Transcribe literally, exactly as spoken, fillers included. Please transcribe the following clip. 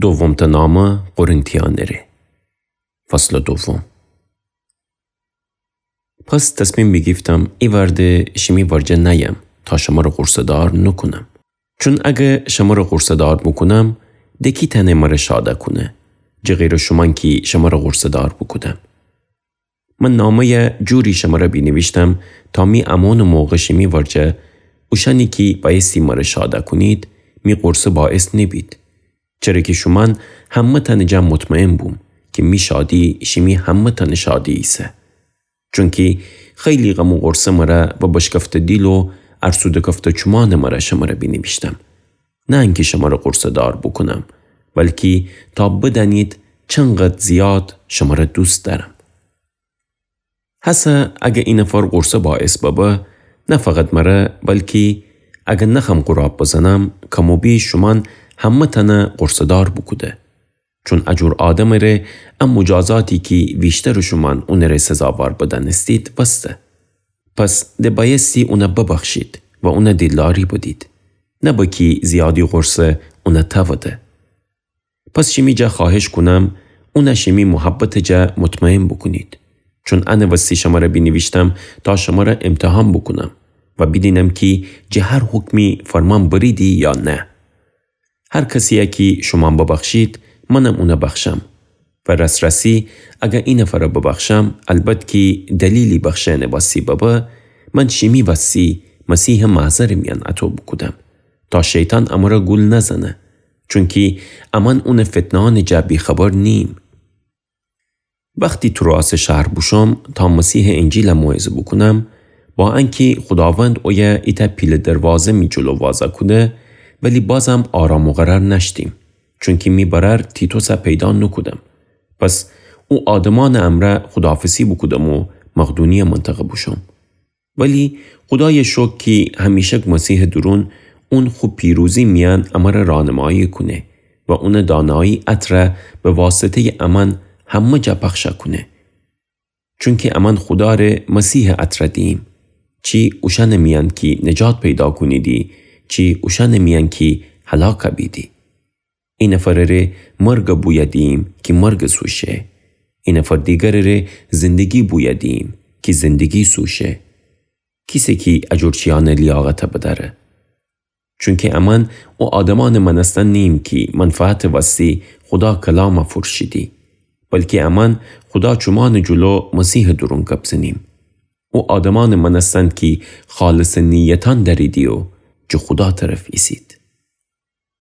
دومتأ نامه قرنتیأنٚ ره. فصلٚ دوم. پس تصمیم بیگیفتم ایوأرده شیمی ورجه نأیم تا شمره غورصه‌دار نوکونم. چون اگر شمره غورصه‌دار بوکونم، د کی تأنه مره شاده کونه، جٚه غیرٚ شومأن کی شمره غورصه‌دار بوکودم. من نامه‌یه جوری شمره بینیویشتم تا می امونٚ موقع شیمی ورجه اوشأنی کی بأیستی مره شاده کونید، می غورصه باعث نیبید. چره کی شومأن همه‌تأنٚ جا مطمئن بوم کی می شادی شیمی همه‌تأنٚ شادی ایسه. چونکی خیلی غم و غورصه مره و بشکفته دیل و ارسوده کفته چومأنٚ مره شمره بینیویشتم. نه انکی شمره غورصه‌دار بوکونم، بلکی تا بدأنید چنقدر زیاد شمره دوست دأرم. هسه اگر اینفر غورصه باعث ببه، نه فقط مره، بلکی اگر نخم غراب بزنم، کم و بیش شومأن همه‌تأنه غورصه‌دار بوکوده. چون ا جور آدمٚ ره ا مجازاتی کی ویشترٚ شومأن اونٚ ره سزاوار بدأنستید، وسته. پس د بأیستی اونه ببخشید و اونه دیلداری بدید، نه بکی زیادی غورصه اونه تأوده. پس شیمی جا خوأهش کونم، اونه شیمی محبتٚ جا مطمئن بوکونید. چون انٚ وستی شمره بینیویشتم تا شمره امتحان بوکونم و بیدینم کی جٚه هر حکمی فرمان بریدی یا نه. هر کسی‌یه کی شومأن ببخشید، منم اونه بخشم. و راس‌راسی اگر اینفره ببخشم، البت کی دلیلی بخشئنٚ وستی ببه، من شیمی وستی مسیحٚ محضرٚ میأن اطو بوکودم، تا شیطان امره گول نزنه، چونکی امأن اونٚ فتنه‌یأنٚ جا بی‌خبر نییم. وختی تروآسٚ شهر بوشوم تا مسیحٚ انجیله موعظه بوکونم، با انکی خوداوند اویه ایتأ پیله دروازه می جلو وازا کوده، ولی بازم آرام و قرار نأشتیم، چونکی می برأر تیتوسه پیدا نوکودم. پس او آدمأنٚ امرأ خوداحافظی بوکودم و مقدونیه منطقه بوشوم. ولی خودایه شکر کی همیشک مسیحٚ دورون اون خو پیروزی میأن امره راهنمایی کونه و اونٚ دانایی عطره به واسطه‌یٚ امأن همه جا پخش کونه. چونکی امأن خودا ره مسیحٚ عطره دییم، چی اوشأنٚ میأن کی نجات پیدا کونیدی، چی اوشأنٚ میأن کی هلاک بیدی. اینفرٚ ره مرگٚ بویه دییم کی مرگٚ سو شه. اینفر دیگرٚ ره زندگی بویه دییم کی زندگی سو شه. کیسه کی ا جور چیأنٚ لیاقته بدأره. چونکی امأن او آدمأنٚ مأنستن نییم کی منفعتٚ وستی خودا کلامه فروشیدی، بلکی امأن خودا چومأنٚ جلو مسیحٚ دورون گب زنیم. او آدمأنٚ مأنستن کی خالصٚ نیتأن دأریدی و جٚه خودا طرف ایسید.